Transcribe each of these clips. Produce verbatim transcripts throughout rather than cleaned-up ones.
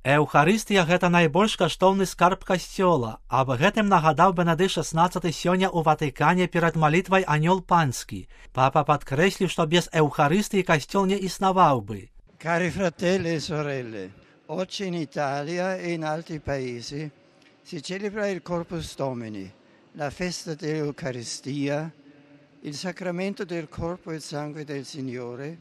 Эўхарыстыя – гэта найбольш каштоўны скарб касцёла. Аб гэтым нагадаў Бенедыкт шаснаццаты сёння ў Ватыкане перад малітвай «Анёл панскі». Папа падкрэсліў, што без Эўхарыстыі касцёл не існаваў бы. Cari fratelli e sorelle, oggi in Italia e in altri paesi si celebra il Corpus Domini, la festa dell'Eucaristia, il sacramento del corpo e sangue del Signore.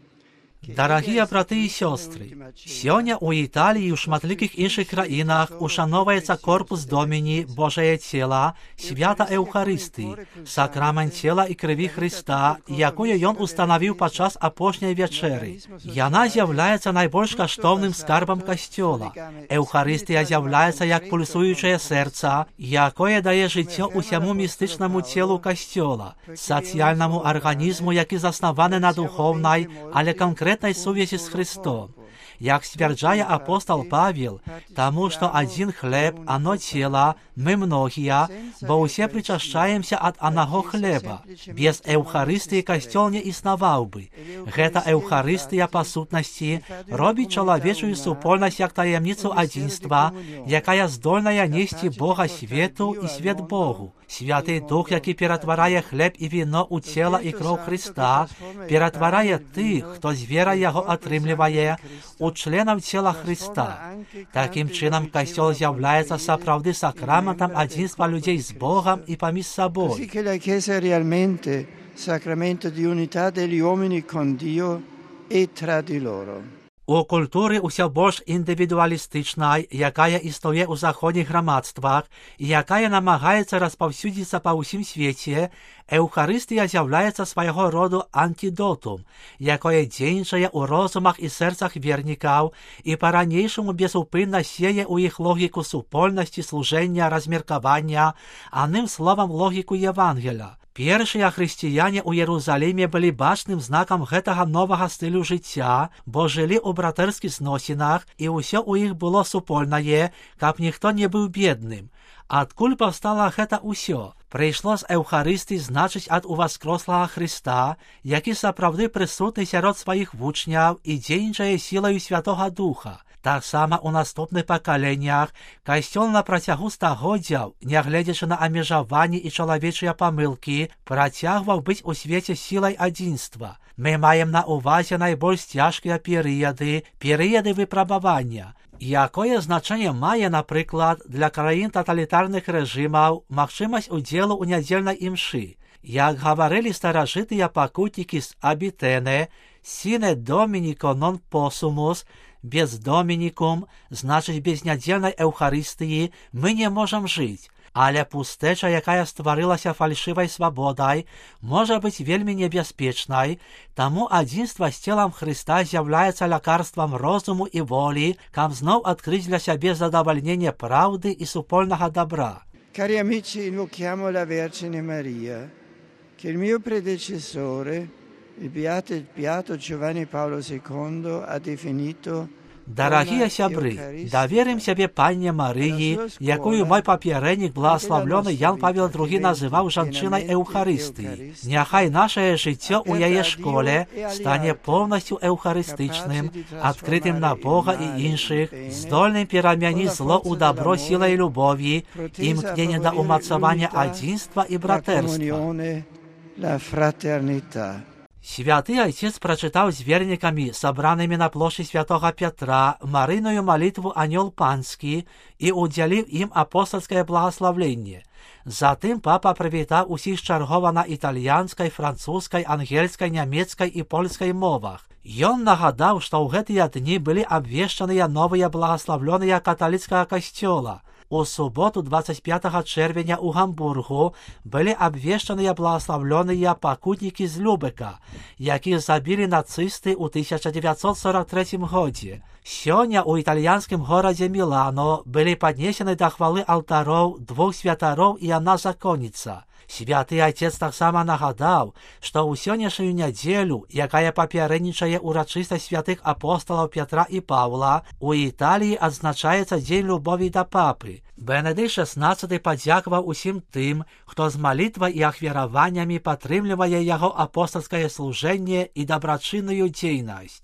Дарагія браты і сёстры, сёння ў Італіі і ў шматлікіх іншых краінах ушановуецца корпус Доміні, Божае цела, свята Эўхарыстыі, сакрамент цела і крыві Хрыста, якую ён устанавіў падчас апошняй вячэры. Яна з'яўляецца найбольш каштоўным скарбам касцёла. Эўхарыстыя з'яўляецца як пульсуючае сэрца, якое дае жыццё усяму містычнаму целу касцёла, сацыяльнаму арганізму, які заснаваны на духоўнай, але канкрэтнай сувязі з Христом. Як сцвярджае апостол Павел, таму што адзін хлеб, ано цела, мы многія, бо ўсе прычашчаемся ад анаго хлеба. Без Эўхарыстыі касцёл не існаваў бы. Гэта Эўхарыстыя па сутнасці робіць чалавечую супольнасць як таямніцу адзінства, якая здольная несці Бога свету і свет Богу. Святы Дух, які ператварае хлеб і віно ў цела і кроў Христа, ператварае тых, хто з верай яго атрымлівае, у членаў цела Христа. Такім чынам, касцёл з'яўляецца сапраўды сакраментам адзінства людзей з Богам і паміж сабой. Così che la Chiesa è realmente sacramento di unità degli uomini con Dio e tra di loro. У культуры ўсё больш індывідуалістычнай, якая існуе ў заходніх грамадствах і якая намагаецца распаўсюдзіцца па ўсім свеце, Эўхарыстыя з'яўляецца свайго роду антидотум, якое дзейнічае ў розумах і сэрцах вернікаў і па-ранейшаму безупынна сее ў іх логіку супольнасці, служэння, размеркавання, адным словам логіку Евангеля. Першыя хрысціяне ў Єрусаліме былі бачным знакам гэтага новага стылю жыцця, бо жылі ў братэрскіх зносінах, і ўсё ў іх было супольнае, каб ніхто не быў бедным. Адкуль паўстала гэта ўсё? Прыйшло з Эўхарыстыі, значыць, ад уваскрослага Хрыста, які сапраўды прысутны сярод сваіх вучняў і дзейнічае сілаю Святога Духа. Таксама ў наступных пакаленнях касцёл на працягу стагоддзяў, нягледзячы на абмежаванні і чалавечыя памылкі, працягваў быць у свеце сілай адзінства. Мы маем на ўвазе найбольш цяжкія перыяды, перыяды выпрабавання. Якое значэнне мае, напрыклад, для краін таталітарных рэжымаў магчымасць удзелу ў нядзельнай імшы? Як гаварылі старажытыя пакутнікі з Абітэне, «Sine Dominico non possumus», без Домінікум, значыць без нядзельнай Эўхарыстыі, мы не можам жыць. Але пустэча, якая стварылася фальшывай свабодай, можа быць вельмі небяспечнай, таму адзінства з целам Хрыста з'яўляецца лякарствам розуму і волі, каб зноў адкрыць для сябе задавальненне праўды і супольнага добра. Cari amici, invochiamo la Vergine Maria, che il mio predecessore, il beato, il beato Giovanni Paolo secondo, ha definito. Дарагія сябры, даверым сябе Панне Марыі, якую мой папярэднік, благаславлёны Ян Павел другі, называў жанчынай Эўхарыстыі. Няхай нашае жыццё ў яе школе стане поўнасцю эўхарыстычным, адкрытым на Бога і іншых, здольным перамяніць зло ў дабро сілай любові, імкнення да ўмацавання адзінства і братэрства. Святы Айцец прачытаў з вернікамі, сабранымі на плошчы Святога Пятра, марыйную малітву «Анёл панскі» і ўдзяліў ім апостальскае благаславленне. Затым папа прывітаў усіх чаргова на італьянскай, французскай, ангельскай, нямецкай і польскай мовах. Ён нагадаў, што ў гэтыя дні былі абвешчаныя новыя благаславлёныя каталіцкага касцёла. У суботу двадцять пятого чэрвеня ў Гамбургу былі абвешчаныя благаславлёныя пакутнікі з Любека, якіх забілі нацысты ў тысяча дзевяцьсот сорок трэцім годзе. Сёння ў італьянскім горадзе Мілано былі паднесены да хвалы алтароў двух святароў і адна законніца. Святы Айцец таксама нагадаў, што ў сённяшнюю нядзелю, якая папярэднічае урачыстасць святых апосталаў Пятра і Паўла, у Італіі адзначаецца дзень любові да папы. Бенедыкт шаснаццаты падзякаваў усім тым, хто з малітвай і ахвяраваннямі падтрымлівае яго апостальскае служэнне і дабрачынную дзейнасць.